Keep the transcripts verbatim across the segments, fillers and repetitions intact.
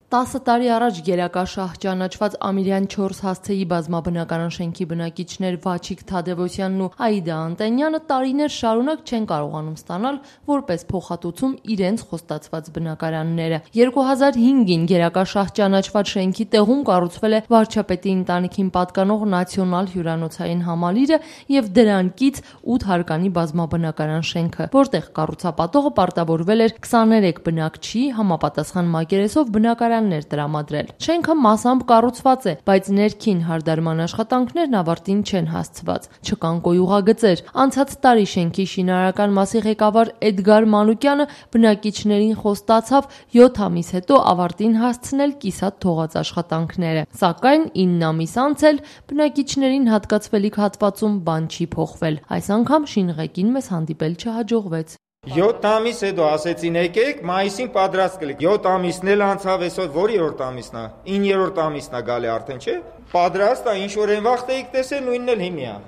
տասը տարի առաջ գերակաշահ ճանաչված Ամիրյան չորս հասցեի բազմաբնակարան շենքի բնակիչներ Վաչիկ Թադևոսյանն ու Աիդա Անտենյանը տարիներ շարունակ չեն կարողանում ստանալ որպես փոխհատուցում իրենց խոստացված բնակարանները։ երկու հազար հինգին գերակաշահ ճանաչված շենքի տեղում կառուցվել է վարչապետի ընտանիքին պատկանող նացիոնալ հյուրանոցային համալիրը եւ դրան կից ութ հարկանի բազմաբնակարան շենքը, որտեղ կառուցապատողը պարտավորվել էր քսաներեք բնակչի համապատասխան մակերեսով բնակարան տրամադրել։ Շենքը մասամբ կառուցված է, բայց ներքին հարդարման աշխատանքներն ավարտին չեն հասցված։ Չկան կոյուղագծեր։ Անցած տարի շենքի շինարարական մասի ղեկավար Էդգար Մանուկյանը բնակիչներին խոստացավ յոթ ամիս հետո ավարտին հասցնել կիսատ թողած աշխատանքները։ Սակայն ինն ամիս անց էլ բնակիչներին հատկացվելիք հատվածում բան չի փոխվել։ Այս անգամ շինղեկին մեզ հանդիպել չհաջողվեց։ յոթ ամիս հետո ասեցին եկեք, մայիսին պատրաստ կլինի։ յոթ ամիսն էլ անցավ, այսօր որի՞երորդ ամիսն է։ իններորդ ամիսն է գալի արդեն, չէ՞։ Պատրաստ է, ինչ որ այն վաղ էիք տեսել, նույնն էլ հիմա։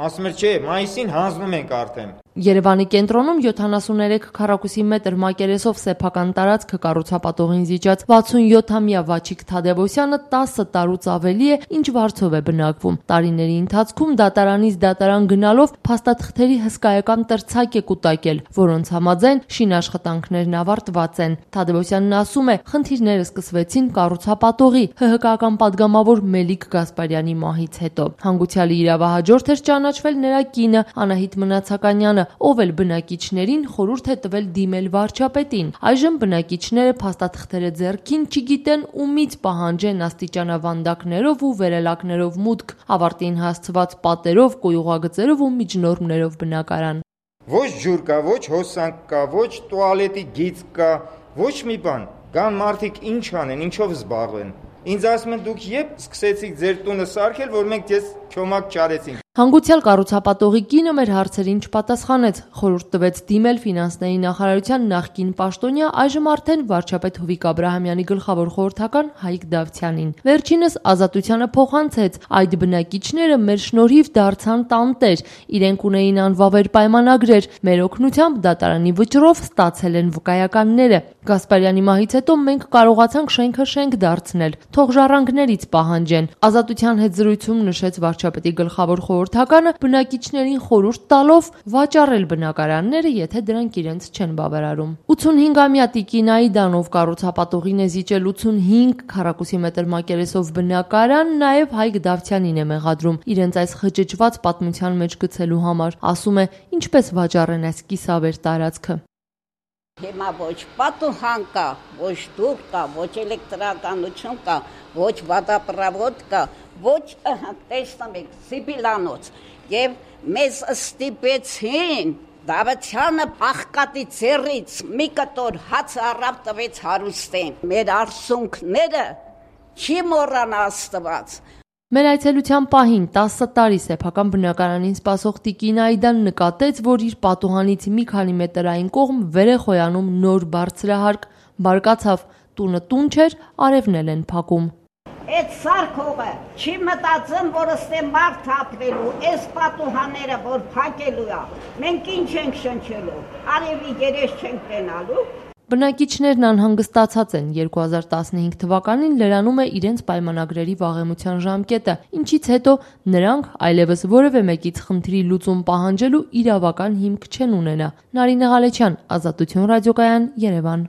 Ասում էր, չէ, մայիսին հանձնում ենք արդեն։ Երևանի կենտրոնում յոթանասուններեք քառակուսի մետր մակերեսով սեփական տարածքը կառուցապատողին զիջած վաթսունյոթամյա Վաչիկ Թադևոսյանը տասը տարուց ավելի է, ինչ վարձով է բնակվում։ Տարիների ընթացքում դատարանից դատարան գնալով փաստաթղթերի հսկայական տրցակ է կուտակել, որոնց համաձայն շինաշխատանքներն ավարտված են։ Թադևոսյանն ասում է, խնդիրները սկսվեցին կառուցապատողի Հ Հ Կ-ական падգամավոր Մելիք Գասպարյանի մահից հետո։ Հանգուցյալի իրավահաջորդ էր ճանաչվել նրա կինը Անահիտ Մնացականյանը, ով էլ բնակիչներին խորհուրդ է տվել դիմել վարչապետին։ Այժմ բնակիչները փաստաթղթերը ձեռքին չգիտեն ումից պահանջեն աստիճանավանդակներով ու վերելակներով մուտք, ավարտին հասցված պատերով, կոյուղագծերով ու միջնորմներով բնակարան։ Ոչ ջուր կա, ոչ հոսանք կա, ոչ տուալետի գիծ կա, ոչ մի բան։ Կան մարդիկ ինչ անեն, ինչով զբաղվեն։ Ինձ ասում են դուք երբ սկսեցիք ձեր տունը սարքել, որ մենք ձեզ չոմակ չարեցինք։ Հանգուցյալ կառուցապատողի կինը մեր հարցերին չպատասխանեց, խորհուրդ տվեց դիմել ֆինանսների նախարարության նախկին պաշտոնյա, այժմ արդեն վարչապետ Հովիկ Աբրահամյանի գլխավոր խորհրդական Հայկ Դավթյանին։ Վերջինս Ազատությանը փոխանցեց, այդ բնակիչները մեր շնորհիվ դարձան տանտեր, իրենք ունեին անվավեր պայմանագրեր, մեր օգնությամբ դատարանի վճռով ստացել են վկայականները։ Գասպարյանի մահից հետո մենք կարողացանք շենքը շենք դարձնել, թող ժառանգներից պահանջեն։ Ազատության հետ զրույցում նշեց վարչապետի գլխավոր խորհրդականը, բնակիչներին խորհուրդ տալով վաճառել բնակարանները, եթե դրանք իրենց չեն բավարարում։ ութունհինգամյա տիկին Աիդան, ով կառուցապատողին է զիջել ութունհինգ քառակուսի մետր մակերեսով բնակարան, նաև Հայկ Դավթյանին է մեղադրում իրենց այս խճճված պատմության մեջ գցելու համար։ Ասում է, ինչպես վաճառեն այս կիսավեր տարածքը։ Հիմա ոչ պատուհան կա, ոչ դուռ կա, ոչ էլեկտրականություն կա, ոչ վատապրավոտ կա, ոչ տեսնում եք Սիբիլանոց, եւ մեզ ստիպեցին Դավթյանը աղքատի ձեռից մի կտոր հաց առավ տվեց հարուստին։ Մեր արցունքները չի մոռանա Աստված։ Մեր այցելության պահին տասը տարի սեփական բնակարանին սպասող տիկին Աիդան նկատեց, որ իր պատուհանից մի քանի մետր այն կողմ վեր է խոյանում նոր բարձրահարկ, բարկացավ, տունը տուն չէր, արևնել են փակում։ Այդ սարքողը չի մտածում, որ ստե մարդ ապրելու, այս պատուհանները որ փակելու է, մենք ինչ ենք շնչելու, արևի երես չենք տենալու։ Բնակիչներն անհանգստացած են, երկու հազար տասնհինգ թվականին լրանում է իրենց պայմանագրերի վաղեմության ժամկետը, ինչից հետո նրանք այլևս որևէ մեկից խնդրի լուծում պահանջելու իրավական հիմք չեն ունենա։ Նարինե Ղալեչյան, Ազատություն ռադիոկայան, Երևան։